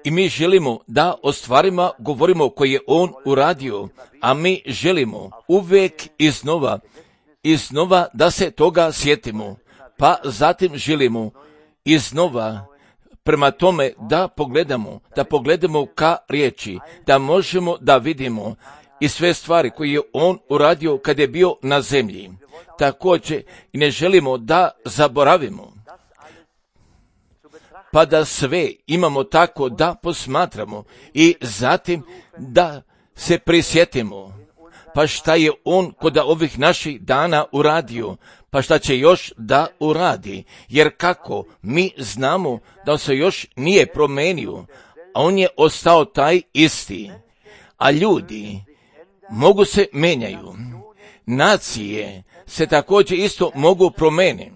I mi želimo da o stvarima govorimo koje je On uradio, a mi želimo uvijek iznova da se toga sjetimo, pa zatim želimo iznova prema tome da pogledamo ka riječi, da možemo da vidimo i sve stvari koje je On uradio kad je bio na zemlji. Također i ne želimo da zaboravimo, pa da sve imamo tako da posmatramo i zatim da se prisjetimo, pa šta je On kod ovih naših dana uradio, pa šta će još da uradi, jer kako mi znamo da On se još nije promenio, a On je ostao taj isti, a ljudi mogu se menjaju, nacije se također isto mogu promeniti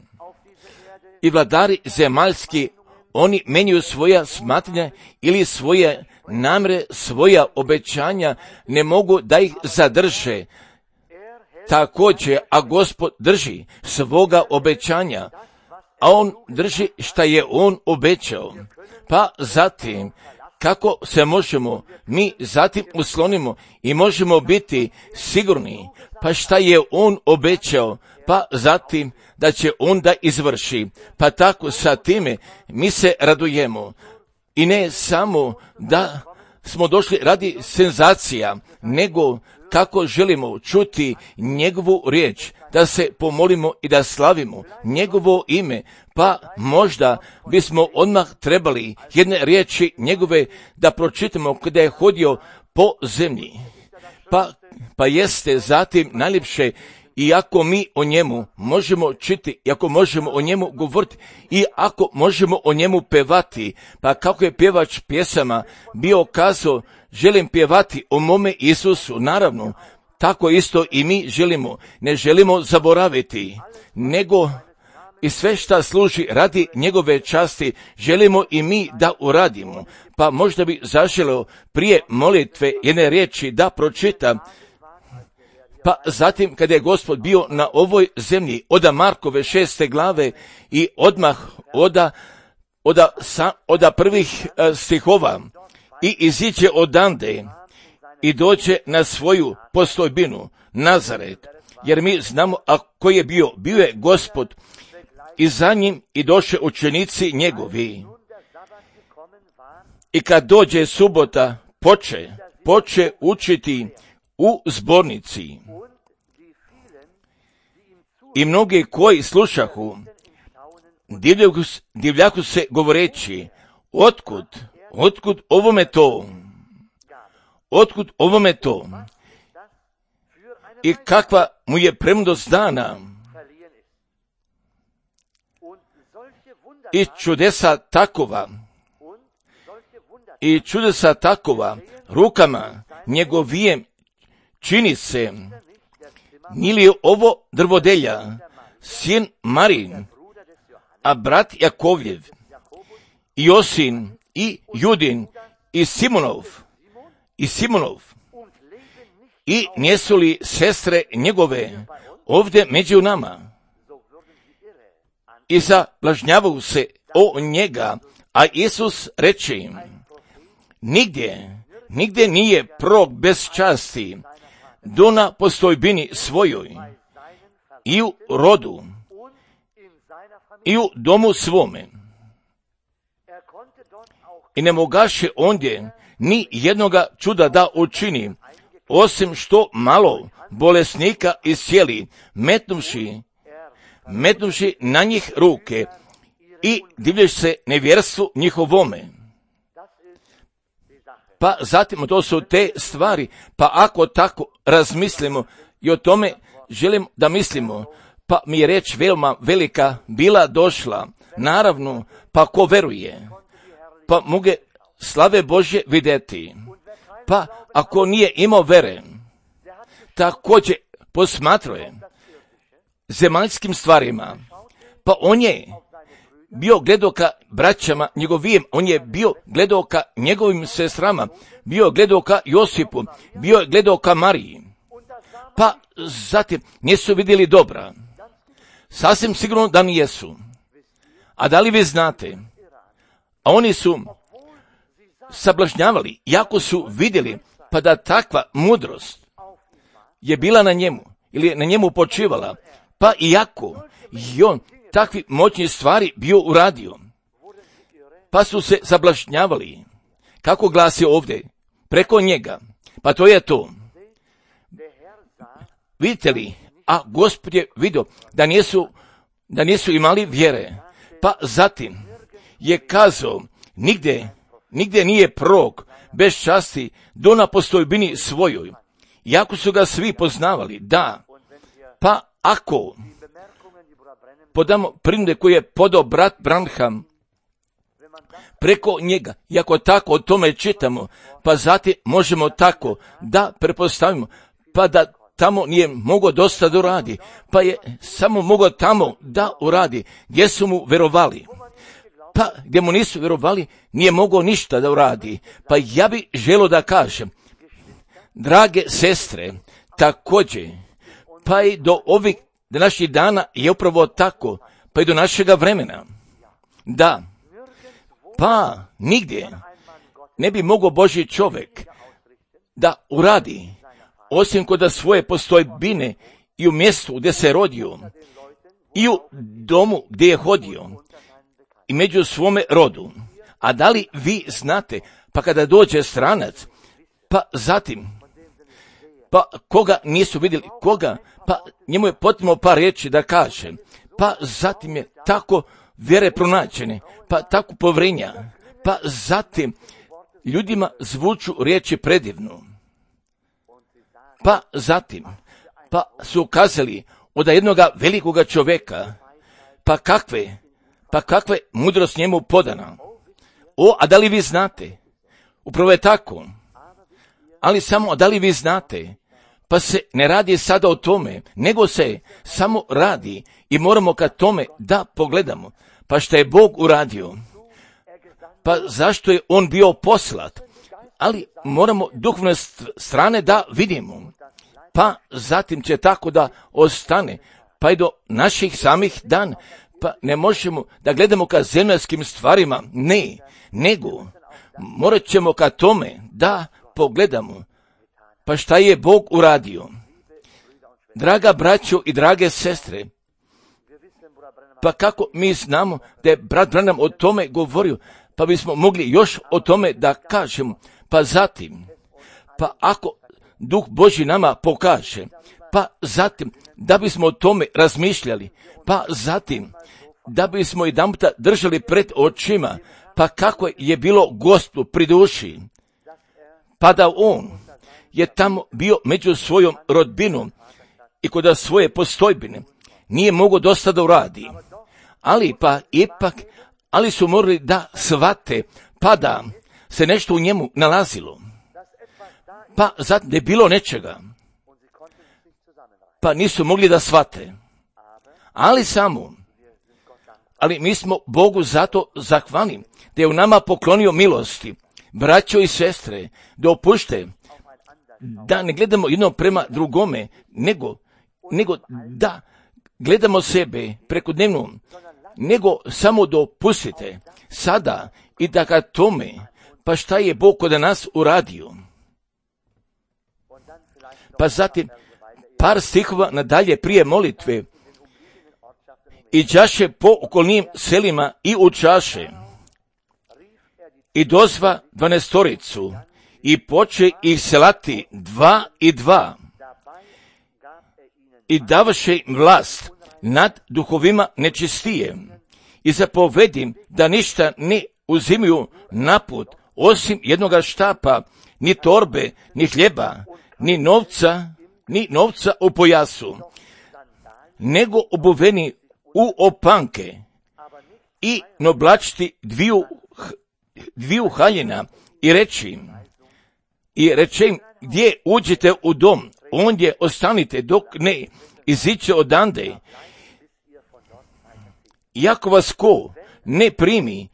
i vladari zemaljski, oni menjaju svoja smatranja ili svoje namre, svoja obećanja, ne mogu da ih zadrže. Također, a Gospod drži svoga obećanja, a On drži šta je On obećao. Pa zatim, kako se možemo mi zatim uslonimo i možemo biti sigurni, pa šta je On obećao, pa zatim da će On da izvrši. Pa tako sa time mi se radujemo. I ne samo da smo došli radi senzacija, nego kako želimo čuti njegovu riječ, da se pomolimo i da slavimo njegovo ime, pa možda bismo odmah trebali jedne riječi njegove da pročitamo kada je hodio po zemlji. Pa jeste zatim najljepše, i ako mi o njemu možemo čiti, i ako možemo o njemu govoriti, i ako možemo o njemu pevati, pa kako je pjevač pjesama bio kazao, želim pjevati o mome Isusu, naravno, tako isto i mi želimo, ne želimo zaboraviti, nego i sve šta služi radi njegove časti, želimo i mi da uradimo. Pa možda bi zaželeo prije molitve jedne riječi da pročitam. Pa zatim kada je Gospod bio na ovoj zemlji, oda Markove 6. glave i odmah oda prvih stihova i iziđe odande i dođe na svoju postojbinu, Nazaret, jer mi znamo a koji je bio je Gospod i za njim i došle učenici njegovi. I kad dođe subota, poče učiti u zbornici. I mnogi koji slušahu, divljaku se govoreći, otkud ovome to? Otkud ovome to? I kakva mu je premudrost dana? I čudesa takova, rukama njegovijem čini se. Nije li ovo drvodelja, sin Marin, a brat Jakovljev, i Josin, i Judin, i Simonov, i nijesu li sestre njegove ovdje među nama? I zablažnjavaju se o njega, a Isus reče im, nigdje nije prorok bez časti, do na postojbini svojoj, i u rodu, i u domu svome. I ne mogaše ondje ni jednoga čuda da učini, osim što malo bolesnika iscijeli, metnuvši na njih ruke i divlješ se nevjerstvu njihovome. Pa zatim to su te stvari, pa ako tako razmislimo i o tome želim da mislimo, pa mi je reč veoma velika bila došla, naravno, pa ko veruje, pa mogu slave Božje vidjeti, pa ako nije imao vere, također posmatruje zemaljskim stvarima, pa on je bio gledao ka braćama njegovim, on je bio gledao ka njegovim sestrama, bio gledao ka Josipu, bio gledao ka Mariji. Pa zatim nisu vidjeli dobra. Sasvim sigurno da nijesu. A da li vi znate a oni su sablažnjavali, jako su vidjeli, pa da takva mudrost je bila na njemu, ili je na njemu počivala, pa iako i on takvi moćni stvari bio uradio, pa su se sablažnjavali. Kako glasi ovdje? Preko njega. Pa to je to. Vidite li? A Gospod je vidio da nisu imali vjere. Pa zatim je kazao, nigdje nije prorok bez časti do na postojbini svojoj. Iako su ga svi poznavali, da. Pa ako podamo primjer koji je podao brat Branham preko njega, i ako tako o tome čitamo, pa zatim možemo tako da prepostavimo, pa da tamo nije mogao dosta da uradi, pa je samo mogao tamo da uradi, gdje su mu verovali. Pa gdje mu nisu verovali, nije mogao ništa da uradi. Pa ja bih želio da kažem, drage sestre, također, pa i do ovih današnjih dana je upravo tako, pa i do našega vremena. Da, pa nigdje ne bi mogao Božji čovjek da uradi, osim kod svoje postojbine i u mjestu gdje se rodio, i u domu gdje je hodio, i među svome rodu. A da li vi znate, pa kada dođe stranac, pa zatim, pa koga nisu vidjeli, koga, pa njemu je potrebno par riječi da kaže, pa zatim je tako vjere pronađene, pa tako povrenja, pa zatim ljudima zvuču riječi predivno. Pa zatim, pa su kazali od jednoga velikoga čovjeka, pa kakve mudrost njemu podana. A da li vi znate? Upravo je tako. Ali samo, da li vi znate? Pa se ne radi sada o tome, nego se samo radi i moramo ka tome da pogledamo. Pa što je Bog uradio? Pa zašto je on bio poslat? Ali moramo duhovne strane da vidimo. Pa zatim će tako da ostane, pa i do naših samih dan. Pa ne možemo da gledamo ka zemaljskim stvarima, ne, nego morat ćemo ka tome da pogledamo. Pa šta je Bog uradio? Draga braćo i drage sestre, pa kako mi znamo da je brat Branham o tome govorio, pa bismo mogli još o tome da kažemo. Pa zatim, pa ako Duh Božji nama pokaže, pa zatim da bismo o tome razmišljali, pa zatim da bismo jedanputa držali pred očima, pa kako je bilo Gospodu pri duši, pa da on je tamo bio među svojom rodbinom i kod svoje postojbine nije mogao dosta da uradi, ali pa ipak, ali su morali da shvate, pa da se nešto u njemu nalazilo, pa zatim da je bilo nečega, pa nisu mogli da shvate, ali mi smo Bogu zato zahvalni da je u nama poklonio milosti. Braćo i sestre, da opušte, da ne gledamo jedno prema drugome, nego da gledamo sebe prekodnevno, nego samo dopustite sada i da ka tome, pa šta je Bog kod nas uradio. Pa zatim par stihova nadalje prije molitve. I đaše po okolnim selima i učaše, i dozva 12 i poče ih selati 2 i 2, i davaše im vlast nad duhovima nečistije, i zapovedim da ništa ne uzimaju naput, osim jednoga štapa, ni torbe, ni hljeba, ni novca u pojasu, nego obuveni u opanke i noblačiti dviju haljina i reći im gdje uđete u dom, ondje ostanite dok ne iziće odande. Iako vas ko ne primi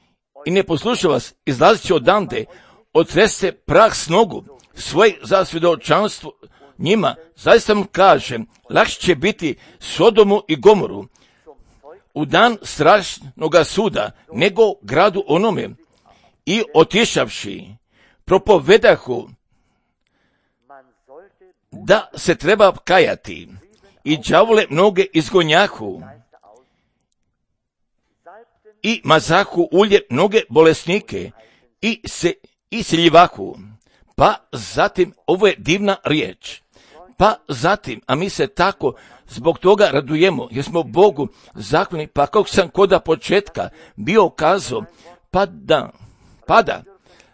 i ne posluša vas, izlazit će odande, otreste prah s nogu svoje za svjedočanstvo njima. Zaista vam kažem, lakše će biti Sodomu i Gomoru u dan strašnoga suda, nego gradu onome i otišavši propovedahu da se treba kajati i đavole mnoge izgonjahu i mazahu ulje mnoge bolesnike i se isiljivahu. Pa zatim, ovo je divna riječ, pa zatim, a mi se tako zbog toga radujemo, jer smo Bogu zahvalni, pa kako sam koda početka bio kazao, pa da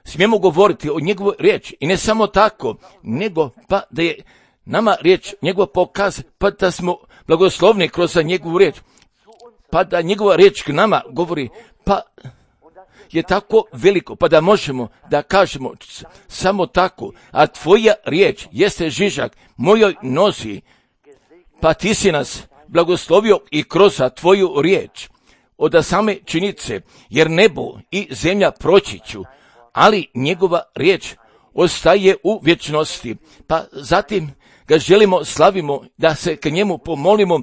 smijemo govoriti o njegovoj riječi, i ne samo tako, nego pa da je nama riječ njegova pokaz, pa da smo blagoslovni kroz njegovu riječ, pa da njegova riječ k nama govori, pa je tako veliko, pa da možemo da kažemo samo tako, a tvoja riječ jeste žižak mojoj nozi, pa ti si nas blagoslovio i kroz tvoju riječ od same činjenice, jer nebo i zemlja proći ću, ali njegova riječ ostaje u vječnosti. Pa zatim ga želimo, slavimo, da se k njemu pomolimo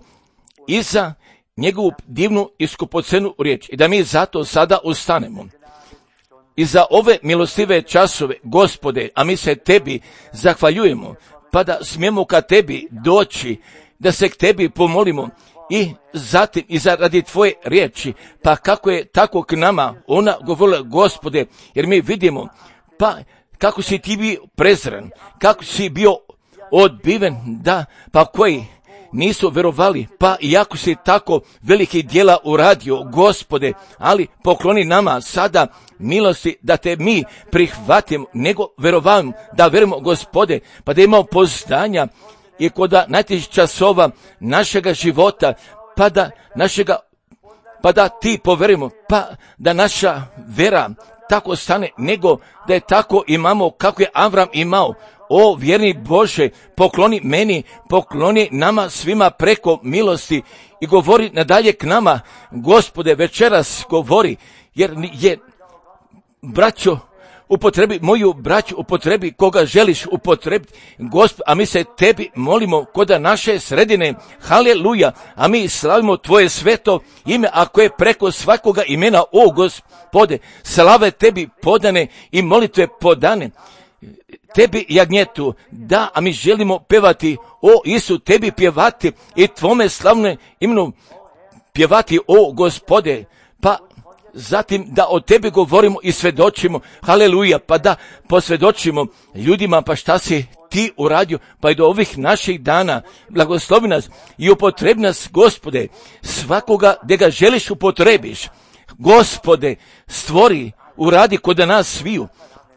i za njegovu divnu i skupocenu riječ, i da mi zato sada ustanemo. I za ove milostive časove, Gospode, a mi se tebi zahvaljujemo, pa da smijemo ka tebi doći, da se k tebi pomolimo i zatim i zaradi tvoje riječi, pa kako je tako k nama ona govorila, Gospode, jer mi vidimo, pa kako si ti bio prezren, kako si bio odbiven, da, pa koji nisu verovali, pa iako si tako veliki djela uradio, Gospode, ali pokloni nama sada milosti da te mi prihvatimo, nego verovam da verujemo, Gospode, pa da imamo poznanja i kod najtežih časova našega života, pa da ti poverimo, pa da naša vera tako stane, nego da je tako imamo kako je Avram imao. O vjerni Bože, pokloni meni, pokloni nama svima preko milosti i govori nadalje k nama, Gospode, večeras govori, jer je braćo, upotrebi moju braću, upotrebi koga želiš upotrebiti, Gospod, a mi se tebi molimo koda naše sredine, haleluja, a mi slavimo tvoje sveto ime, ako je preko svakoga imena, o Gospode, slave tebi podane i molitve podane, tebi jagnjetu, da, a mi želimo pevati, o Isu, tebi pjevati i tvome slavne imenu pjevati, o Gospode, pa zatim da o tebi govorimo i svedočimo, haleluja, pa da posvjedočimo ljudima, pa šta si ti uradio, pa i do ovih naših dana, blagoslovi nas i upotrebi nas, Gospode, svakoga gdje ga želiš upotrebiš, Gospode, stvori, uradi kod nas sviju,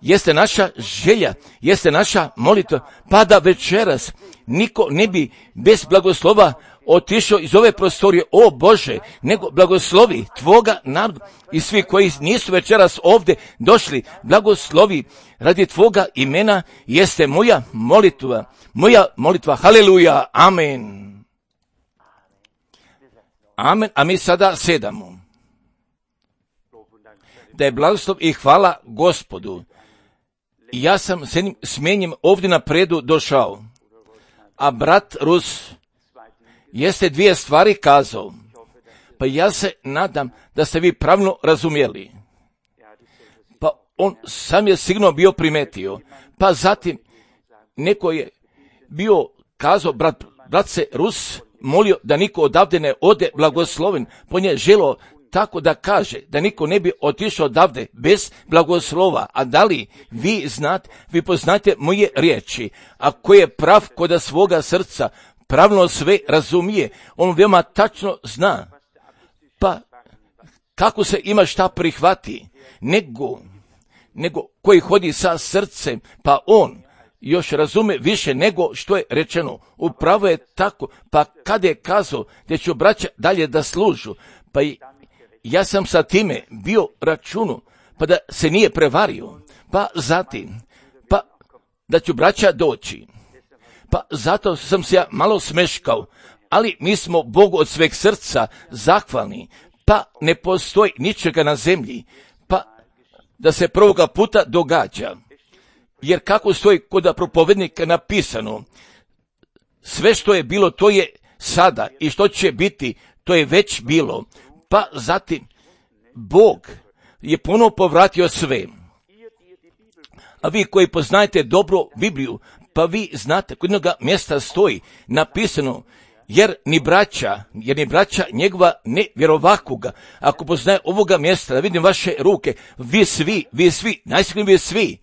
jeste naša želja, jeste naša molitva, pa da večeras niko ne bi bez blagoslova otišao iz ove prostorije, o Bože, nego blagoslovi tvoga naroda i svi koji nisu večeras ovdje došli, blagoslovi radi tvoga imena, jeste moja molitva, haleluja, amen. Amen, a mi sada sedamo. Da je blagoslov i hvala Gospodu. Ja sam s jednim smenjem ovdje napredu došao, a brat Rus jeste dvije stvari kazao, pa ja se nadam da ste vi pravilno razumjeli. Pa on sam je sigurno bio primetio, pa zatim neko je bio kazao, brat se Rus molio da niko odavde ne ode blagosloven, po nje želo tako da kaže, da niko ne bi otišao odavde bez blagoslova. A da li vi znate, vi poznate moje riječi, a ko je prav koda svoga srca, pravilno sve razumije, on veoma tačno zna, pa kako se ima šta prihvati, nego koji hodi sa srcem, pa on još razume više nego što je rečeno. Upravo je tako, pa kada je kazao da ću braća dalje da služu, pa ja sam sa time bio računu, pa da se nije prevario, pa zatim, pa da ću braća doći. Pa zato sam se ja malo smeškao, ali mi smo Bogu od sveg srca zahvalni, pa ne postoji ničega na zemlji, pa da se prvoga puta događa. Jer kako stoji kod propovednika napisano, sve što je bilo, to je sada, i što će biti, to je već bilo. Pa zatim, Bog je ponovo povratio sve. A vi koji poznajete dobro Bibliju, pa vi znate, kod jednoga mjesta stoji napisano, jer ni braća njegova ne vjerovakoga. Ako poznaje ovoga mjesta, da vidim vaše ruke, vi svi, najsigurnije vi svi.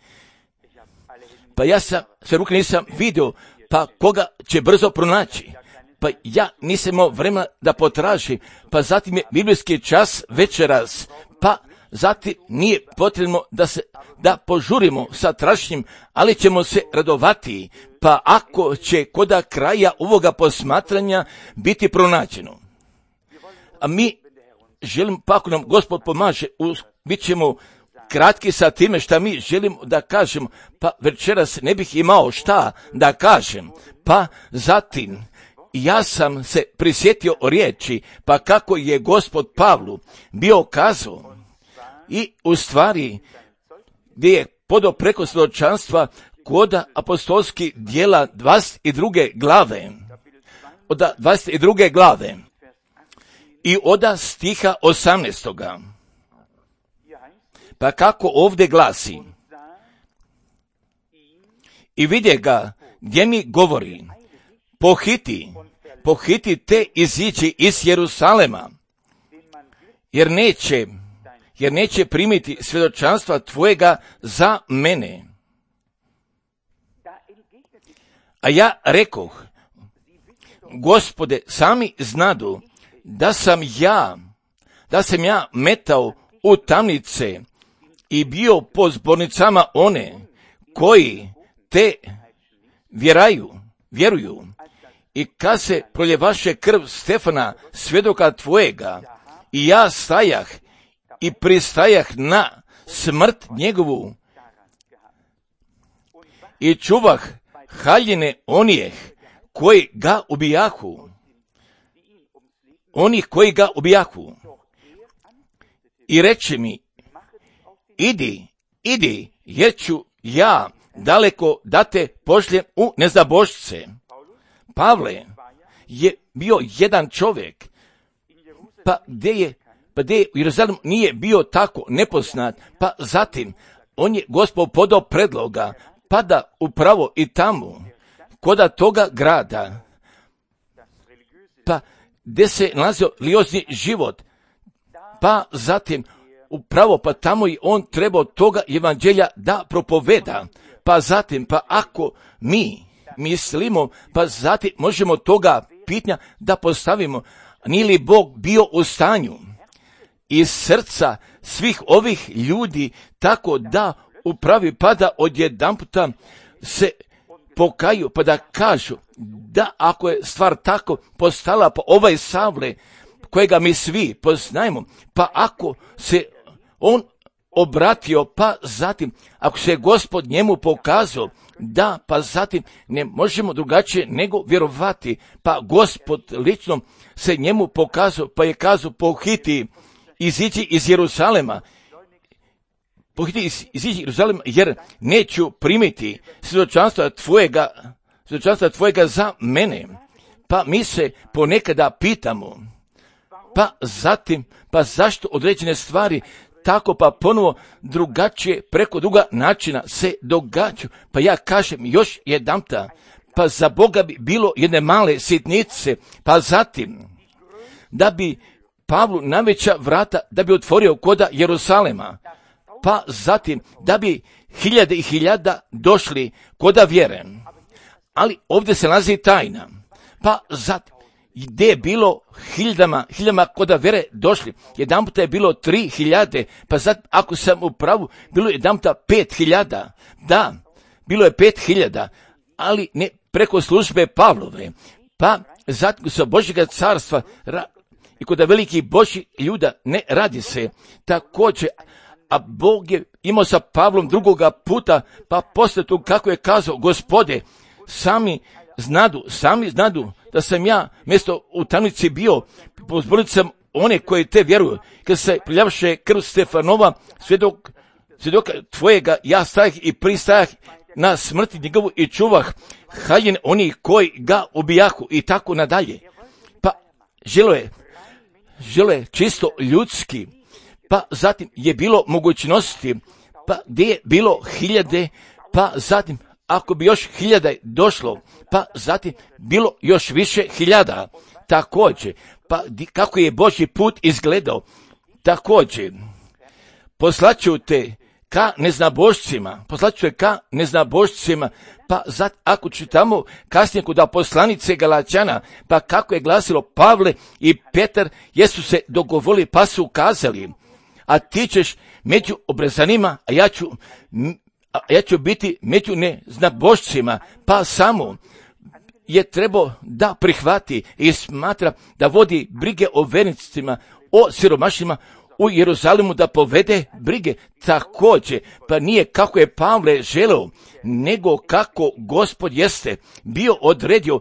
Pa ja sam sve ruke nisam vidio, pa koga će brzo pronaći? Pa ja nisam imao vremena da potražim, pa zatim je biblijski čas večeras, pa zatim nije potrebno da požurimo sa traženjem, ali ćemo se radovati, pa ako će koda kraja ovoga posmatranja biti pronađeno. A mi želimo, pa ako nam Gospod pomaže, bit ćemo kratki sa time šta mi želimo da kažemo, pa večeras ne bih imao šta da kažem, pa zatim ja sam se prisjetio riječi, pa kako je Gospod Pavlu bio kazao, i u stvari gdje je podao preko svjedočanstva koda apostolskih djela 22. glave, od 22. glave i od stiha 18. Pa kako ovdje glasi, i vidje ga gdje mi govori, pohiti te izići iz Jerusalema, jer neće primiti svjedočanstva tvojega za mene. A ja rekoh, Gospode, sami znadu da sam ja metao u tamnice i bio po zbornicama one koji te vjeruju. I kad se proljevaše krv Stefana, svjedoka tvojega, i ja stajah i pristajah na smrt njegovu i čuvah haljine onih koji ga ubijahu. I reče mi, idi, jer ću ja daleko da te pošljem u nezabošce. Pavle je bio jedan čovjek, pa gdje u Jeruzalemu nije bio tako nepoznat, pa zatim on je Gospod podao predloga, pa da upravo i tamo, koda toga grada, pa gdje se nalazio religiozni život, pa zatim upravo pa tamo i on trebao toga evanđelja da propoveda, pa zatim, pa ako mi mislimo, pa zatim možemo toga pitanja da postavimo, nije li Bog bio u stanju iz srca svih ovih ljudi tako da upravi, pa da odjedanputa se pokaju, pa da kažu da ako je stvar tako postala, pa ovaj Savle kojega mi svi poznajemo, pa ako se on obratio, pa zatim ako se Gospod njemu pokazao, da, pa zatim ne možemo drugačije nego vjerovati, pa Gospod lično se njemu pokazao, pa je kazao, pohiti izići iz Jeruzalema, jer neću primiti svjedočanstva tvojega za mene. Pa mi se ponekada pitamo, pa zatim, pa zašto određene stvari tako pa ponovo drugačije preko druga načina se događaju. Pa ja kažem još jedanputa, pa za Boga bi bilo jedne male sitnice, pa zatim da bi Pavlu najveća vrata da bi otvorio koda Jerusalema, pa zatim da bi hiljade i hiljada došli koda vjere. Ali ovdje se nalazi tajna, pa zatim gdje je bilo hiljadama koda vjere došli, jedanput je bilo 3.000, pa zatim ako sam u pravu, bilo je jedanputa 5.000, da, bilo je 5.000, ali ne preko službe Pavlove, pa zatim sa Božjega carstva i kod velikih Božjih ljuda ne radi se također, a Bog je imao sa Pavlom drugoga puta, pa poslije tu kako je kazao, Gospode, sami znadu da sam ja mjesto u tamnici bio, po zbornicama one koji te vjeruju, kad se priljavše krv Stefanova, svjedoka tvojega, ja stajah i pristajah na smrti njegovu i čuvah haljine onih koji ga ubijahu i tako nadalje. Pa želo je čisto ljudski, pa zatim je bilo mogućnosti, pa gdje je bilo hiljade pa zatim ako bi još 1000 došlo, pa zatim bilo još više 1000. Također, pa kako je Božji put izgledao, također, poslaću te ka neznabošcima, pa ako čitamo kasnije kod poslanice Galačana, pa kako je glasilo Pavle i Petar, jesu se dogovorili pa su kazali, a ti ćeš među obrezanima, a ja ću biti među neznabošcima, pa samo je trebao da prihvati i smatra da vodi brige o vernicima, o siromašnima u Jeruzalemu, da povede brige također, pa nije kako je Pavle želeo, nego kako Gospod jeste bio odredio.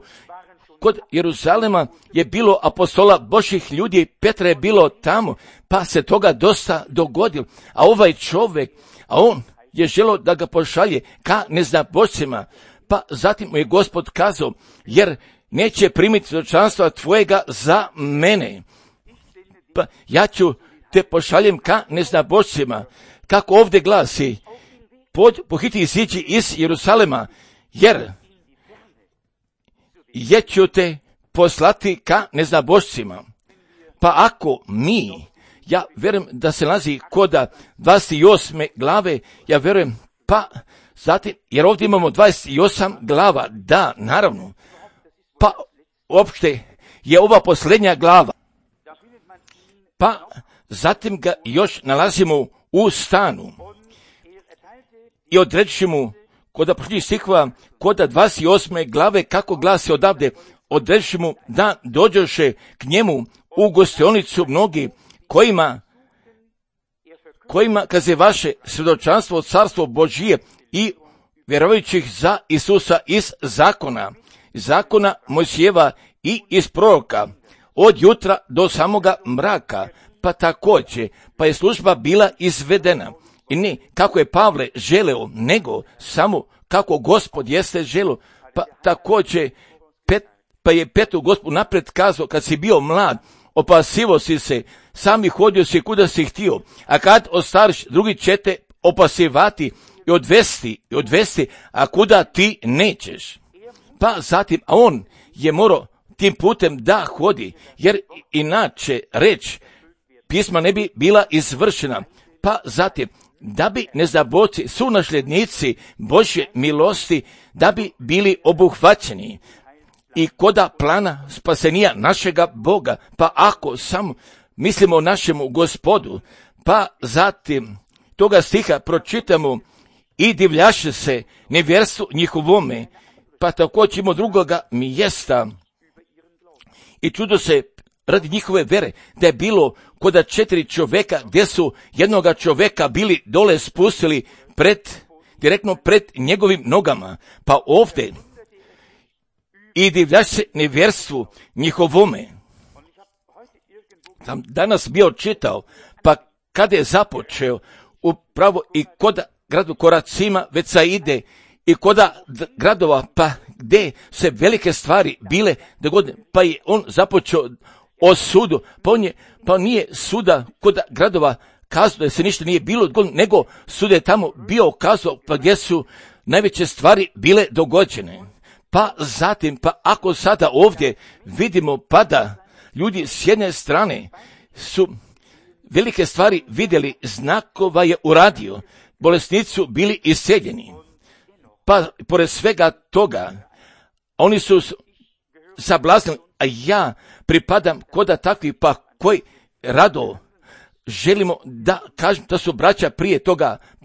Kod Jeruzalema je bilo apostola Božjih ljudi, Petra je bilo tamo, pa se toga dosta dogodilo, a ovaj čovjek, a on je želeo da ga pošalje ka neznabošcima, pa zatim mu je Gospod kazao, jer neće primiti svjedočanstva tvojega za mene, pa ja ću te pošaljem ka neznabošcima, kako ovdje glasi, pohiti iziđi iz Jeruzalema, jer ću te poslati ka neznabošcima. Pa ako ja vjerujem da se nalazi koda 28. glave, ja vjerujem, pa zatim, jer ovdje imamo 28 glava, da, naravno, pa uopšte je ova posljednja glava, pa zatim ga još nalazimo u stanu i odreći mu koda prošli stihova, koda 28. glave, kako glasi odavde, odreći mu da dođoše k njemu u gostionicu mnogi kojima kaze vaše svjedočanstvo od carstvo Božije i vjerujućih za Isusa iz zakona Mojsijeva i iz proroka, od jutra do samoga mraka, pa također, pa je služba bila izvedena. I ne kako je Pavle želeo, nego samo kako Gospod jeste želeo, pa također, pa je Petru Gospod napred kazao, kad si bio mlad, opasivo si se, sami hodio si kuda si htio, a kad ostariš, drugi će te opasivati i odvesti, a kuda ti nećeš. Pa zatim, a on je morao tim putem da hodi, jer inače reč pisma ne bi bila izvršena. Pa zatim, da bi neznabošci su nasljednici Božje milosti, da bi bili obuhvaćeni i koda plana spasenija našega Boga, pa ako samo mislimo o našemu Gospodu, pa zatim toga stiha pročitamo i divljaše se nevjerstvu njihovome, pa također imamo drugoga mjesta i čudo se radi njihove vere, da je bilo koda 4 čovjeka, gdje su jednoga čovjeka bili dole spustili direktno pred njegovim nogama, pa ovdje i divljaše se nevjerstvu njihovome. Sam danas bio čitao, pa kada je započeo upravo i koda gradu Koracima, već sa ide i koda gradova, pa gdje se velike stvari bile dogodne, pa je on započeo o sudu, pa nije suda koda gradova kazao da se ništa nije bilo dogodno, nego sud je tamo bio kazao, pa gdje su najveće stvari bile dogođene. Pa zatim, pa ako sada ovdje vidimo, pa da ljudi s jedne strane su velike stvari vidjeli, znakova je uradio, bolesnici su bili isceljeni, pa pored svega toga, oni su sablaznili, a ja pripadam koda takvi, pa koji rado želimo da kažem da su braća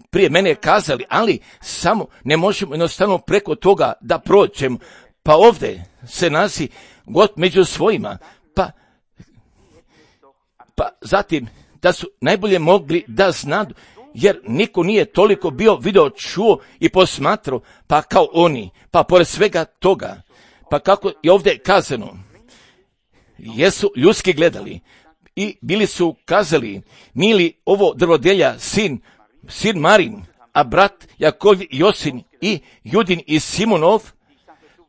prije mene kazali, ali samo ne možemo jednostavno preko toga da prođemo, pa ovdje se nasi God među svojima, pa zatim da su najbolje mogli da znadu, jer niko nije toliko bio video, čuo i posmatrao, pa kao oni, pa pored svega toga, pa kako je ovdje kazano, jesu ljudski gledali i bili su kazali, nije li ovo drvodelja sin Marin, a brat Jakov, Josin i Judin i Simonov,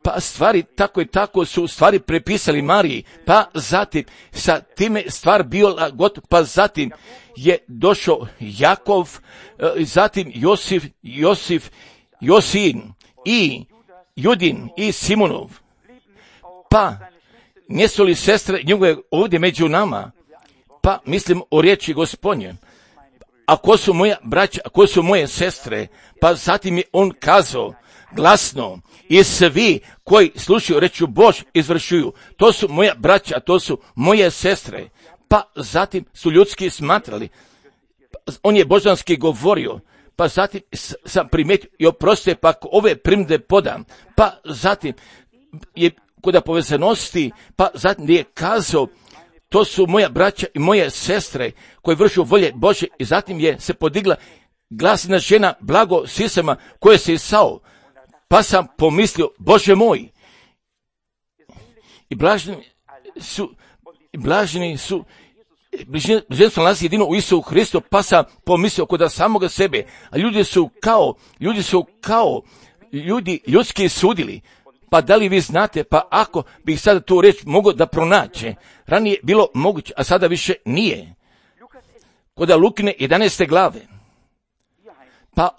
pa stvari tako i tako su stvari prepisali Mariji, pa zatim sa time stvar bila gotova, pa zatim je došao Jakov, zatim Josif Josin i Judin i Simonov. Pa, nisu li sestre njegove ovdje među nama? Pa, mislim o riječi Gospodnje. A ko su moja braća, a ko su moje sestre? Pa zatim je on kazao glasno, i svi koji slušaju rečju Bož izvršuju. To su moja braća, to su moje sestre. Pa zatim su ljudski smatrali. On je božanski govorio. Pa zatim sam primijetio i oprostite, pa ako ove primjedbe podam. Pa zatim je kod povezanosti, pa zatim je kazao, to su moja braća i moje sestre koji vršu volje Bože, i zatim je se podigla glasna žena blago sisama koje se isao. Pa sam pomislio, Bože moj, i blaženi su, blaženstvo nalazi jedino u Isusu Hristu, pa sam pomislio kod samoga sebe, a ljudi su kao ljudski sudili. Pa da li vi znate, pa ako bih sada tu riječ mogao da pronaće, ranije bilo moguće, a sada više nije. Kod Lukine 11. glave. Pa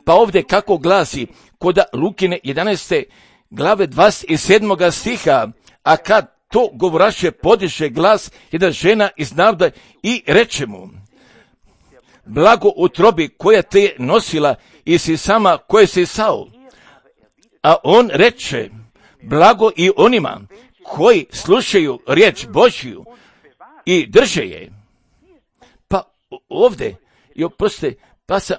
ovdje kako glasi, kod Lukine 11. glave 27. stiha, a kad to govoraše podiže glas jedna žena iz naroda i reče mu, blago utrobi koja te je nosila i si sama koje si sao. A on reče, blago i onima koji slušaju riječ Božju i drže je. Pa ovdje, i oprostite, pa sam,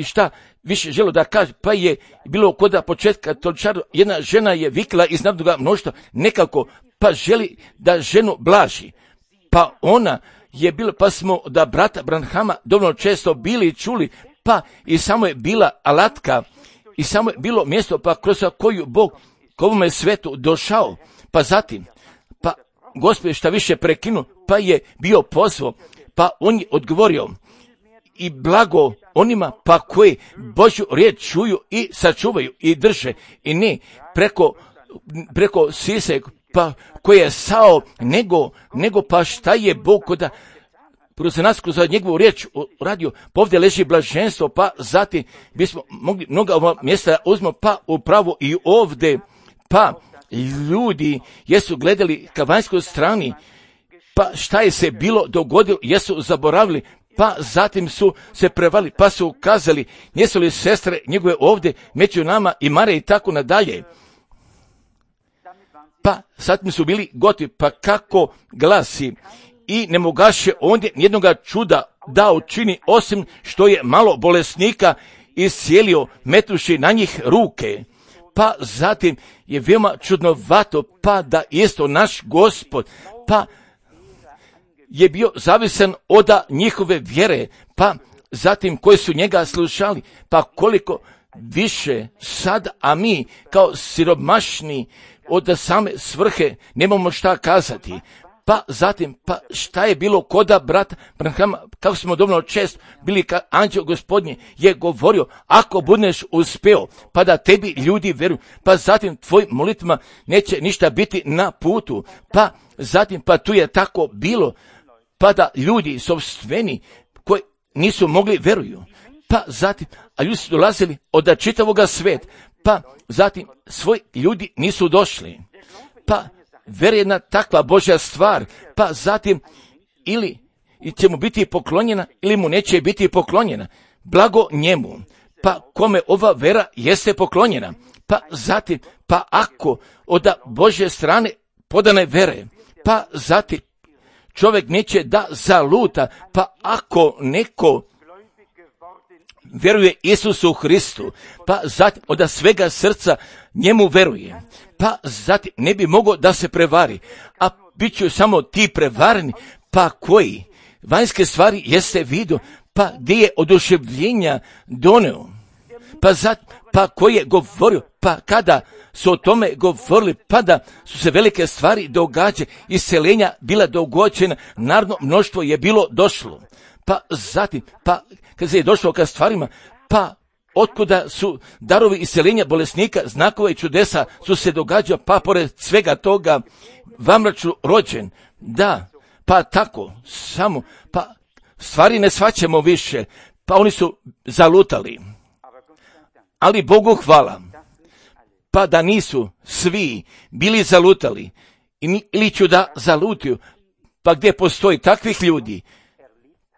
šta više želio da kaže, pa je bilo kod početka toličaru, jedna žena je vikla iz narodnoga mnoštva nekako, pa želi da ženu blaži. Pa ona je bila, pa smo da brata Branhama dovoljno često bili i čuli, pa i samo je bila alatka, i samo je bilo mjesto, pa kroz koju Bog k ovome svetu došao. Pa zatim, pa Gospod šta više prekinu, pa je bio pozvao, pa on je odgovorio, i blago onima pa koji Božju riječ čuju i sačuvaju i drže, i ne preko sise pa koje je sao, nego pa šta je Bog koda kroz nas, kroz njegovu riječ radio, pa ovdje leži blaženstvo, pa zatim bismo mogli mnoga ova mjesta uzmo, pa upravo i ovdje, pa ljudi jesu gledali ka vanjskoj strani, pa šta je se bilo dogodilo, jesu zaboravili, pa zatim su se prevali, pa su ukazali, nisu li sestre njegove ovdje među nama i Mare i tako nadalje. Pa zatim su bili gotovi, pa kako glasi, i ne mogaše ondje nijednoga čuda da učini, osim što je malo bolesnika iscijelio metuši na njih ruke. Pa zatim je veoma čudnovato, pa da isto naš Gospod, pa je bio zavisan od njihove vjere, pa zatim koji su njega slušali, pa koliko više sad, a mi kao siromašni od same svrhe nemamo šta kazati. Pa zatim, pa šta je bilo koda brata Branhama, kako smo dovoljno čest bili ka anđeo Gospodnje je govorio, ako budeš uspeo, pa da tebi ljudi veruju, pa zatim tvojim molitvama neće ništa biti na putu, pa zatim, pa tu je tako bilo, pa da ljudi sopstveni koji nisu mogli veruju, pa zatim, a ljudi su dolazili od čitavoga sveta, pa zatim svoji ljudi nisu došli, pa vera je jedna takva Božja stvar, pa zatim ili će mu biti poklonjena ili mu neće biti poklonjena, blago njemu, pa kome ova vera jeste poklonjena, pa zatim, pa ako od Božje strane podane vere, pa zatim čovjek neće da zaluta, pa ako neko veruje Isusu Hristu, pa zatim od svega srca njemu veruje, pa zatim ne bi mogao da se prevari, a bit će samo ti prevareni, pa koji vanjske stvari jeste vidio, pa gdje je oduševljenja doneo, pa zatim, pa koji je govorio, pa kada su o tome govorili, pa da su se velike stvari događale, isceljenja bila dogođena, narodno mnoštvo je bilo došlo, pa zatim, pa kad se je došlo ka stvarima, pa otkuda su darovi isceljenja bolesnika, znakova i čudesa su se događali, pa pored svega toga vamraču rođen, da, pa tako, samo, pa stvari ne shvaćamo više, pa oni su zalutali. Ali Bogu hvala, pa da nisu svi bili zalutali ili ću da zalutiju, pa gdje postoji takvih ljudi,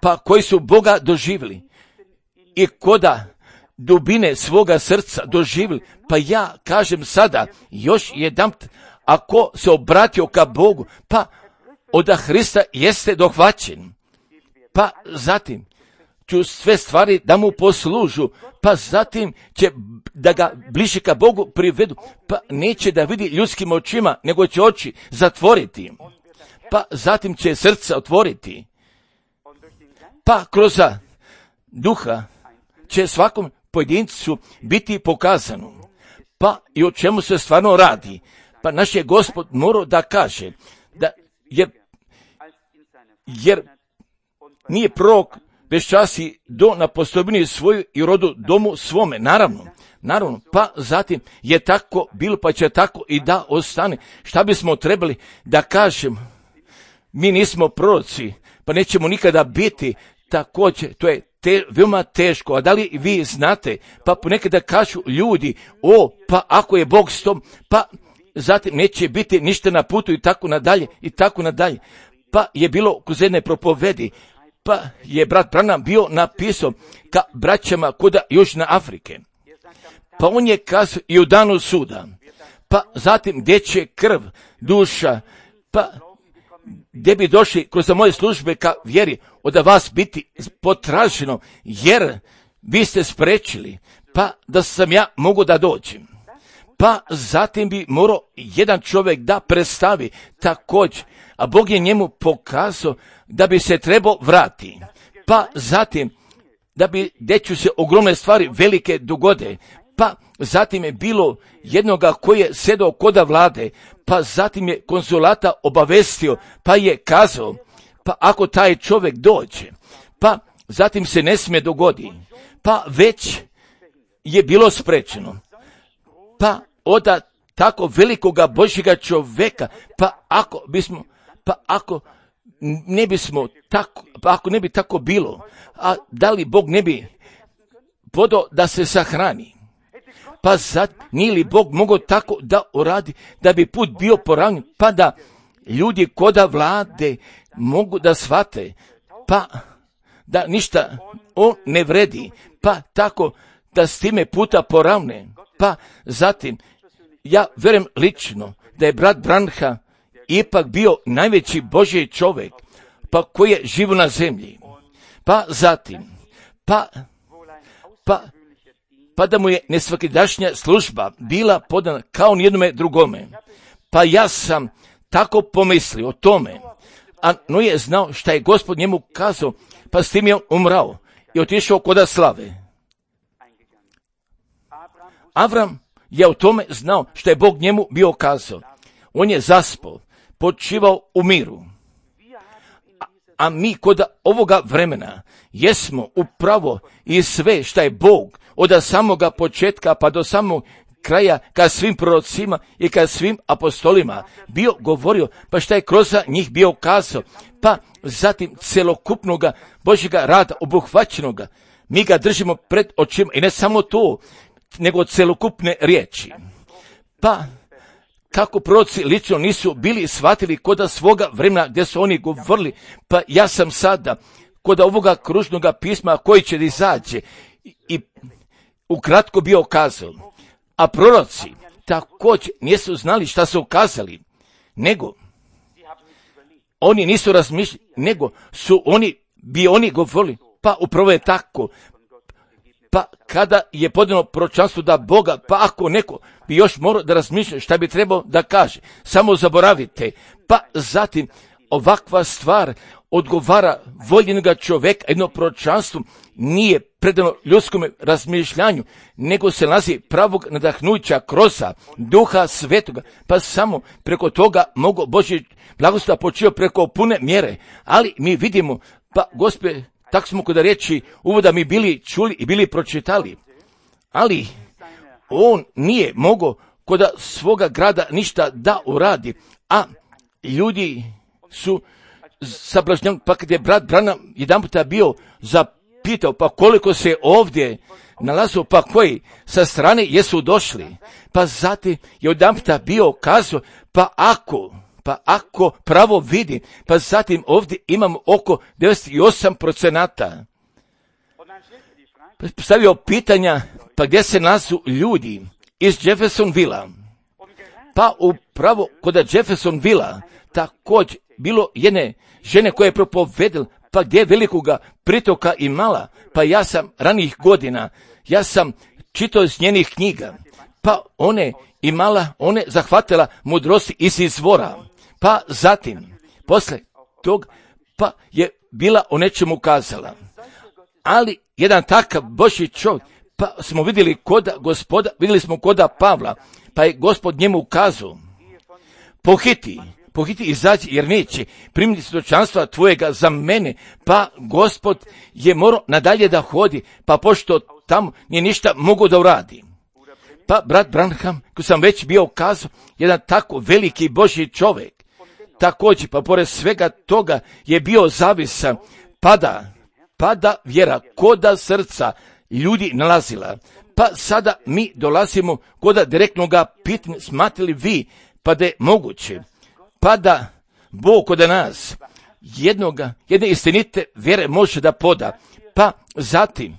pa koji su Boga doživjeli i koda dubine svoga srca doživjeli, pa ja kažem sada još jedanput, ako se obratio ka Bogu, pa od Hrista jeste dohvaćen, pa zatim ću sve stvari da mu poslužu, pa zatim će da ga bliže ka Bogu privedu, pa neće da vidi ljudskim očima, nego će oči zatvoriti, pa zatim će srca otvoriti, pa kroz duha će svakom pojedincu biti pokazano, pa i o čemu se stvarno radi. Pa naš je Gospod morao da kaže, da jer nije prorok bez časi do na postojbini svoju i rodu domu svome, naravno, pa zatim je tako bilo, pa će tako i da ostane. Šta bismo trebali da kažemo? Mi nismo proroci, pa nećemo nikada biti, također, to je veoma teško. A da li vi znate, pa ponekada kažu ljudi, pa ako je Bog s tom, pa zatim neće biti ništa na putu i tako nadalje. Pa je bilo kroz jedne propovedi, pa je brat Branham bio napisao ka braćama kuda Južne Afrike. Pa on je kazao i u danu suda, pa zatim gdje će krv, duša, pa gdje bi došli kroz moje službe ka vjeri, od vas biti potraženo, jer vi ste sprečili, pa da sam ja mogu da dođem. Pa zatim bi morao jedan čovjek da predstavi također, a Bog je njemu pokazao da bi se trebao vrati. Pa zatim, da bi gdje se ogromne stvari velike dogode, pa zatim je bilo jednoga koji je sedao koda vlade, pa zatim je konzulata obavestio, pa je kazao, pa ako taj čovjek dođe, pa zatim se ne smije dogodi, pa već je bilo sprečeno. Pa od tako velikoga Božjega čovjeka, pa ako ne bi tako bilo, a da li Bog ne bi podao da se sahrani? Pa sad nije li Bog mogao tako da uradi, da bi put bio poravnjen, pa da ljudi koda vlade mogu da shvate, pa da ništa on ne vredi, pa tako da s time puta poravne. Pa zatim, ja vjerujem lično da je brat Branham ipak bio najveći Božji čovjek, pa koji je živo na zemlji. Pa zatim, pa da mu je nesvakidašnja služba bila podana kao nijednome drugome. Pa ja sam tako pomislio o tome, a no je znao šta je Gospod njemu kazao, pa s tim je umrao i otišao koda slave. Avram je o tome znao šta je Bog njemu bio kazao. On je zaspao, počivao u miru. A mi kod ovoga vremena jesmo upravo i sve šta je Bog od samoga početka pa do samog kraja ka svim prorocima i ka svim apostolima bio govorio, pa šta je kroz njih bio kazao, pa zatim celokupnoga Božjega rada obuhvaćenoga. Mi ga držimo pred očima i ne samo to, nego celokupne riječi. Pa kako proroci lično nisu bili shvatili koda svoga vremena gdje su oni govorili, pa ja sam sada koda ovoga kružnoga pisma koji će da izađe i ukratko bio kazao. A proroci također nisu znali šta su kazali, nego oni nisu razmišljali, nego su oni govorili, pa upravo je tako. Pa kada je podano proročanstvo da Boga, pa ako neko bi još morao da razmišlja šta bi trebao da kaže, samo zaboravite. Pa zatim ovakva stvar odgovara voljenoga čovjeka, jedno proročanstvo nije predano ljudskom razmišljanju, nego se nalazi pravog nadahnuća kroz Duha Svetoga, pa samo preko toga mogu Božji blagoslov počivati preko pune mjere. Ali mi vidimo, pa Gospod, tako smo kod riječi uvoda mi bili čuli i bili pročitali, ali on nije mogao kod svoga grada ništa da uradi, a ljudi su sablažnjeni. Pa kad je brat Branham jedan puta bio zapitao, pa koliko se ovdje nalazu, pa koji sa strane jesu došli. Pa zatim je odjedanputa bio kazao, pa ako pravo vidi, pa zatim ovdje imamo oko 98%. Postavio pitanja, pa gdje se nalazu ljudi iz Jeffersonvilla. Pa upravo kod Jeffersonvilla također bilo jedne žene koje je propovedala, pa gdje je velikoga pritoka imala, pa ja sam ranijih godina, ja sam čitao iz njenih knjiga, pa one zahvatila mudrosti iz izvora, pa zatim, posle tog, pa je bila o nečemu kazala. Ali jedan takav Božji čovjek, pa smo vidjeli koda Pavla, pa je Gospod njemu ukazao, pohiti izađi, jer neće primiti svjedočanstva tvojega za mene, pa Gospod je morao nadalje da hodi, pa pošto tamo nije ništa mogu da uradi. Pa brat Branham, ko sam već bio ukazao, jedan tako veliki Božji čovjek, također, pa pored svega toga je bio zavisan, pada vjera koda srca ljudi nalazila. Pa sada mi dolazimo koda direktnoga pitanja, smatrali vi, pa da je moguće, pa da Bog kod nas jedne istinite vjere može da poda, pa zatim,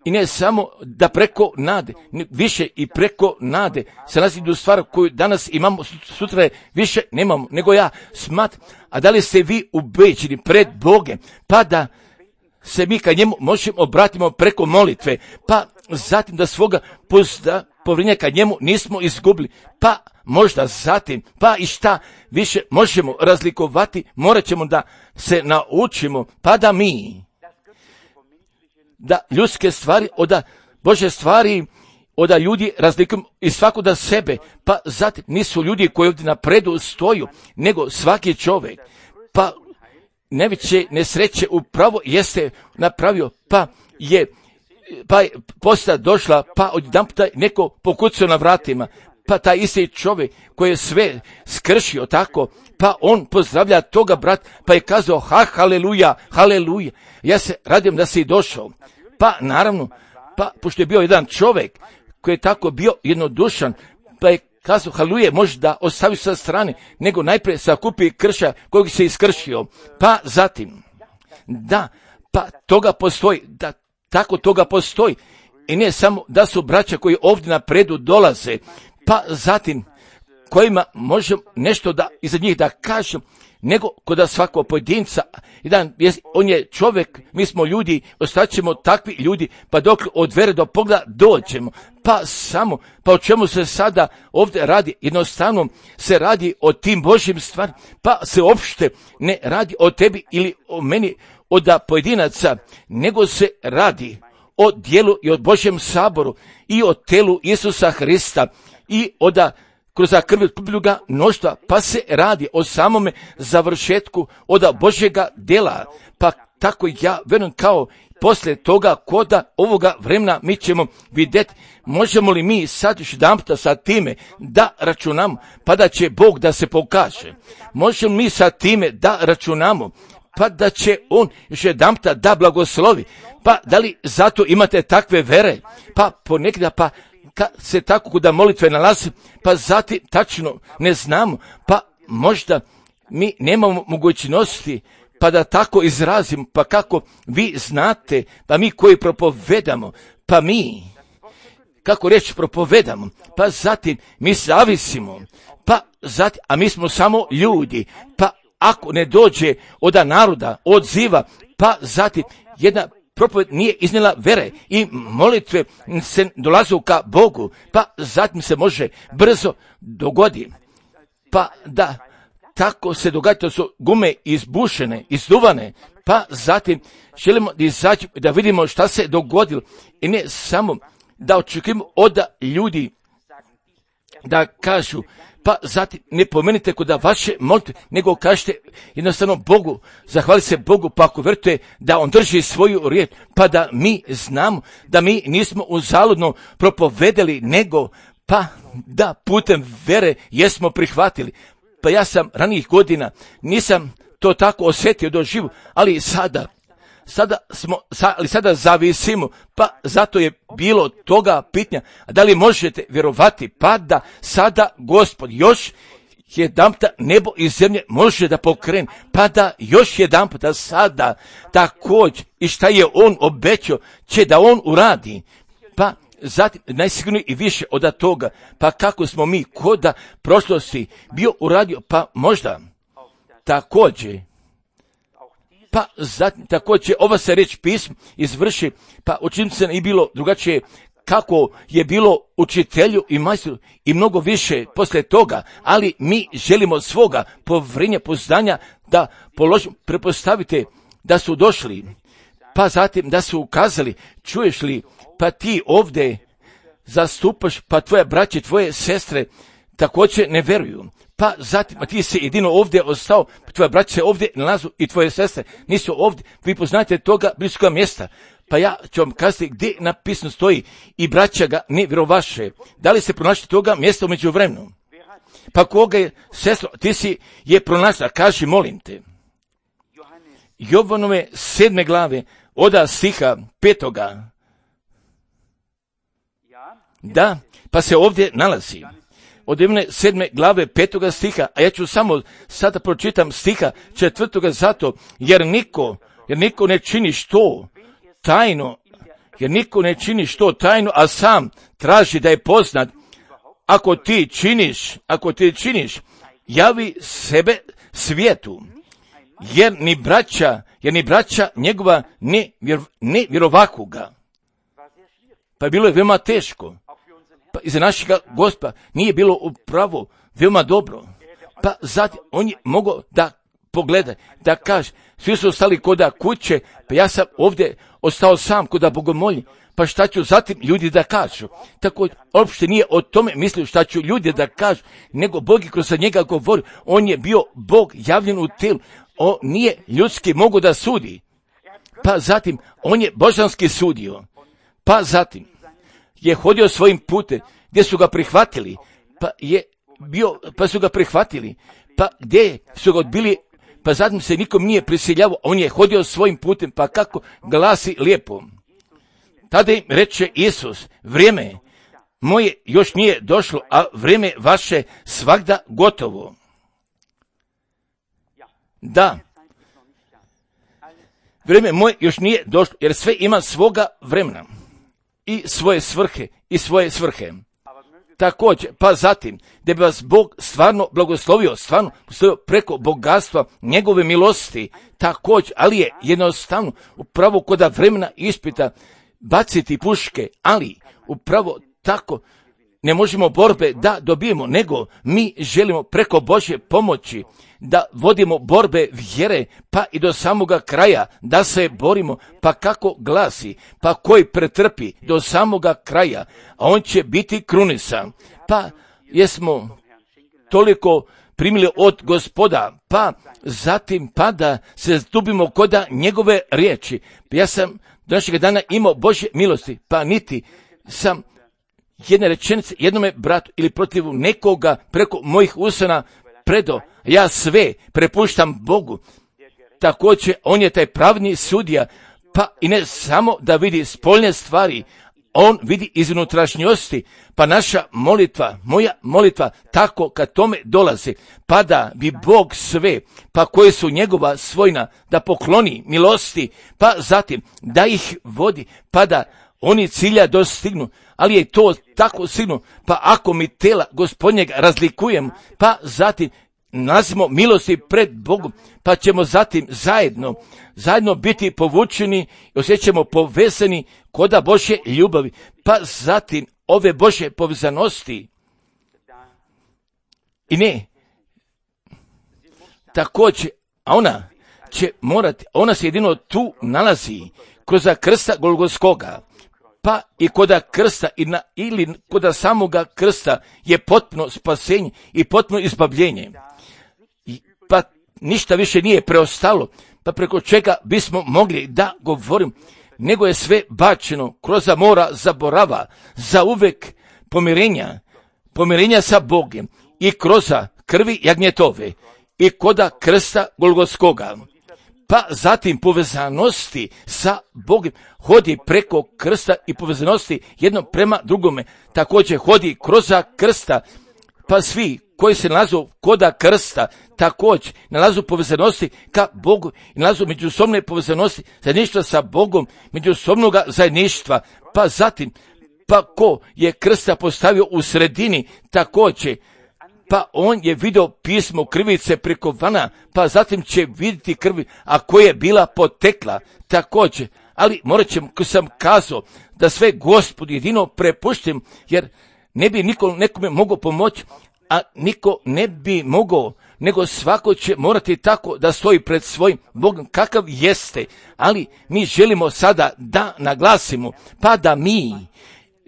i ne samo da preko nade, više i preko nade se nalazi do stvar koju danas imamo, sutra je više nemamo, nego ja smatram, a da li ste vi ubeđeni pred Bogem, pa da se mi ka njemu možemo obratimo preko molitve, pa zatim da svoga povjerenja ka njemu nismo izgubili, pa možda zatim, pa i šta više možemo razlikovati, morat ćemo da se naučimo, pa da mi, da ljudske stvari od Božje stvari, od ljudi razlikujemo i svakoga sebe, pa zatim nisu ljudi koji ovdje na predu stoju, nego svaki čovjek, pa najveće nesreće upravo jeste napravio, pa je posta došla, pa odjedanputa neko pokucao na vratima, pa taj isti čovjek koji je sve skršio tako, pa on pozdravlja toga brat, pa je kazao haleluja, haleluja, ja se radim da si došao. Pa naravno, pa pošto je bio jedan čovjek koji je tako bio jednodušan, pa je kazao haleluja, može da ostavi sa strane, nego najprije sakupi krša kojeg se iskršio. Pa zatim, da, pa toga postoji, da tako toga postoji. I ne samo da su braća koji ovdje na predu dolaze, pa zatim kojima možemo nešto da iza njih da kažem, nego kod svakog pojedinca, on je čovjek, mi smo ljudi, ostaćemo takvi ljudi, pa dok od vere do pogleda dođemo, pa o čemu se sada ovdje radi, jednostavno se radi o tim Božjim stvarima, pa se uopšte ne radi o tebi ili o meni, od pojedinaca, nego se radi o dijelu i o Božjem saboru i o telu Isusa Hrista i kroz krv ljubljuga mnoštva, pa se radi o samome završetku od Božjega djela. Pa tako ja verujem kao poslije toga koda ovoga vremena mi ćemo vidjeti, možemo li mi sad još jedanputa sa time da računamo, pa da će Bog da se pokaže. Možemo mi sa time da računamo, pa da će On još jedanputa da blagoslovi. Pa da li zato imate takve vere? Pa ponekada pa kad se tako kuda molitve nalazi, pa zatim tačno ne znamo, pa možda mi nemamo mogućnosti, pa da tako izrazim, pa kako vi znate, pa mi koji propovedamo, pa mi, kako reći propovedamo, pa zatim mi zavisimo, pa zatim, a mi smo samo ljudi, pa ako ne dođe od naroda, odziva, pa zatim jedna propoved nije iznijela vere i molitve se dolazu ka Bogu, pa zatim se može brzo dogodi. Pa da, tako se događa, to su gume izbušene, izduvane, pa zatim želimo da izađemo, da vidimo šta se dogodilo i ne samo da očekujemo od ljudi da kažu, pa zatim ne pomenite kod vaše molitve, nego kažete jednostavno Bogu, zahvali se Bogu, pa ako vjerujete da On drži svoju riječ, pa da mi znamo da mi nismo uzaludno propovedali, nego pa da putem vere jesmo prihvatili. Pa ja sam ranijih godina, nisam to tako osjetio doživu, ali sada zavisimo, pa zato je bilo toga pitanja, da li možete vjerovati, pa da sada Gospod još jedanputa nebo i zemlje može da pokrene, pa da još jedanputa sada također i šta je on obećao će da on uradi, pa zatim najsigurnije i više od toga, pa kako smo mi koda prošlosti bio uradio, pa možda također, pa zatim također ova se reč pisma izvrši, pa učinit se i bilo drugačije kako je bilo učitelju i majstoru i mnogo više poslije toga, ali mi želimo svoga povjerenja, poznanja da položimo, prepostavite da su došli, pa zatim da su ukazali, čuješ li, pa ti ovdje zastupaš, pa tvoje braće, tvoje sestre također ne vjeruju. Pa zatim, a ti si jedino ovdje ostao, tvoje braće se ovdje nalazu i tvoje sestre nisu ovdje, vi poznate toga bliskoga mjesta. Pa ja ću vam kazati gdje napisano stoji i braća ga ne vjerovaše. Da li ste pronašli toga mjesta umeđu vremenu? Pa koga je, sestro, ti si je pronašla, kaži molim te. Jovanove 7. glave, od stiha 5. Da, pa se ovdje nalazi. Od 7. glave 5. stiha, a ja ću samo sada pročitam stiha 4. zato, jer niko ne čini što tajno, jer niko ne čini što tajno, a sam traži da je poznat. Ako ti činiš, javi sebe svijetu, jer ni braća njegova ne vjerovakuga. Pa bilo je veoma teško. Pa iza našega Gospa nije bilo upravo veoma dobro. Pa zatim on je mogao da pogleda, da kaže, svi su ostali koda kuće, pa ja sam ovdje ostao sam koda bogomolji, pa šta ću zatim ljudi da kažu. Tako uopšte nije o tome mislio šta ću ljudi da kažu, nego Bog je kroz njega govori, on je bio Bog javljen u telu, on nije ljudski mogo da sudi. Pa zatim on je božanski sudio, pa zatim je hodio svojim putem gdje su ga prihvatili, pa su ga prihvatili, pa gdje su ga odbili, pa zatim se nikom nije prisiljavao, on je hodio svojim putem, pa kako glasi lijepo. Tada im reče Isus, vrijeme moje još nije došlo, a vrijeme vaše svagda gotovo. Da, vrijeme moje još nije došlo, jer sve ima svoga vremena i svoje svrhe. Također, pa zatim, da bi vas Bog stvarno blagoslovio preko bogatstva njegove milosti, također, ali je jednostavno upravo koda vremena ispita baciti puške, ali upravo tako ne možemo borbe da dobijemo, nego mi želimo preko Božje pomoći da vodimo borbe vjere, pa i do samoga kraja, da se borimo, pa kako glasi, pa koji pretrpi do samoga kraja, a on će biti krunisan. Pa jesmo toliko primili od Gospoda, pa zatim pa da se zdubimo koda njegove riječi. Ja sam do našeg dana imao Božje milosti, pa niti sam jedne rečenice jednome bratu ili protiv nekoga preko mojih usana predo, ja sve prepuštam Bogu. Također, on je taj pravni sudija, pa i ne samo da vidi spoljne stvari, on vidi iz unutrašnjosti, pa naša molitva, moja molitva, tako kad tome dolazi, pa da bi Bog sve, pa koje su njegova svojna, da pokloni milosti, pa zatim da ih vodi, pa da oni cilja dostignu, ali je to tako sigurno, pa ako mi tela Gospodnjega razlikujemo, pa zatim nalazimo milosti pred Bogom, pa ćemo zatim zajedno biti povučeni i osjećamo povezani koda Božje ljubavi, pa zatim ove Božje povezanosti. I ne, također, a ona se jedino tu nalazi kroz krsta Golgotskoga, pa i koda krsta ili koda samoga krsta je potpuno spasenje i potpuno izbavljenje. Pa ništa više nije preostalo, pa preko čega bismo mogli da govorim, nego je sve bačeno kroz mora zaborava, za uvek pomirenja sa Bogom i kroz krvi jagnjetove i koda krsta Golgotskoga. pa zatim povezanosti sa Bogom, hodi preko krsta i povezanosti jedno prema drugome, također hodi kroz krsta, pa svi koji se nalazu koda krsta također nalazu povezanosti ka Bogu i nalazu međusobne povezanosti zajedništva sa Bogom, međusobnog zajedništva, pa zatim pa ko je krsta postavio u sredini također, pa on je vidio pismo krivice preko vana, pa zatim će vidjeti krvi, a koja je bila potekla također. Ali morat ćemo, ko sam kazao, da sve Gospodu jedino prepuštim, jer ne bi niko nekome mogao pomoći, a niko ne bi mogao, nego svako će morati tako da stoji pred svojim Bogom kakav jeste. Ali mi želimo sada da naglasimo, pa da mi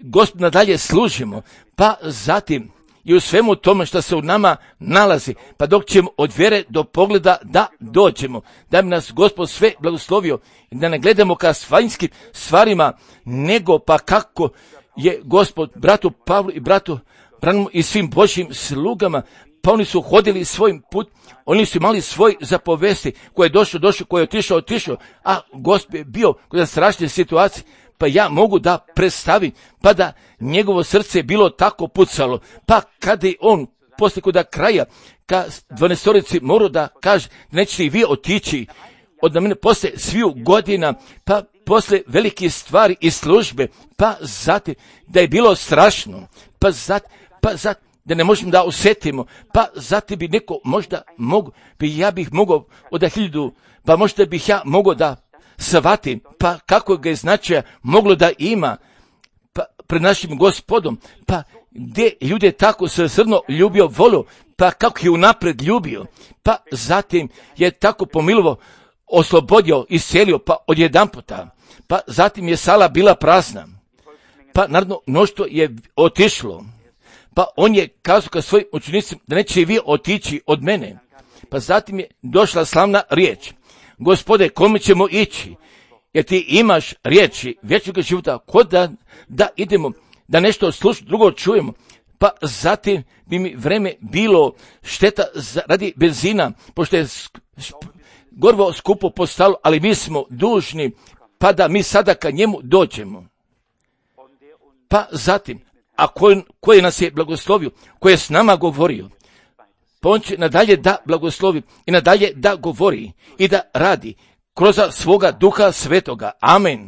Gospod nadalje služimo, pa zatim i u svemu tome što se u nama nalazi, pa dok ćemo od vjere do pogleda da dođemo, da bi nas Gospod sve blagoslovio i da ne gledamo ka vanjskim stvarima, nego pa kako je Gospod bratu Pavlu i bratu Branamu i svim Božjim slugama, pa oni su hodili svojim put, oni su imali svoj zapovesti, ko je došao, ko je otišao, a Gospod je bio kod strašne situacije, pa ja mogu da predstavim, pa da njegovo srce je bilo tako pucalo, pa kada je on poslije kod kraja, ka 12 morao da kaže, nećete i vi otići od mene poslije sviju godina, pa poslije velike stvari i službe, pa zatim da je bilo strašno, pa zatim da ne možemo da osjetimo, pa zatim bi neko možda mogu, ja bih mogao od 1000, pa možda bih ja mogao da shvatim, pa kako ga je značaja moglo da ima, pa pred našim Gospodom, pa gdje ljude tako srno ljubio, volio, pa kako je unapred ljubio, pa zatim je tako pomilovo, oslobodio, iscelio, pa odjedanputa, pa zatim je sala bila prazna, pa naravno mnoštvo je otišlo, pa on je kazao ka svojim učenicima da neće i vi otići od mene, pa zatim je došla slavna riječ, Gospode, kome ćemo ići, jer ti imaš riječi vječnog života, kod da idemo, da nešto drugo čujemo, pa zatim bi mi vreme bilo šteta radi benzina, pošto je gorivo skupo postalo, ali mi smo dužni, pa da mi sada ka njemu dođemo. Pa zatim, a koji nas je blagoslovio, koji je s nama govorio, pa on će nadalje da blagoslovi i nadalje da govori i da radi kroz svoga Duha Svetoga. Amen.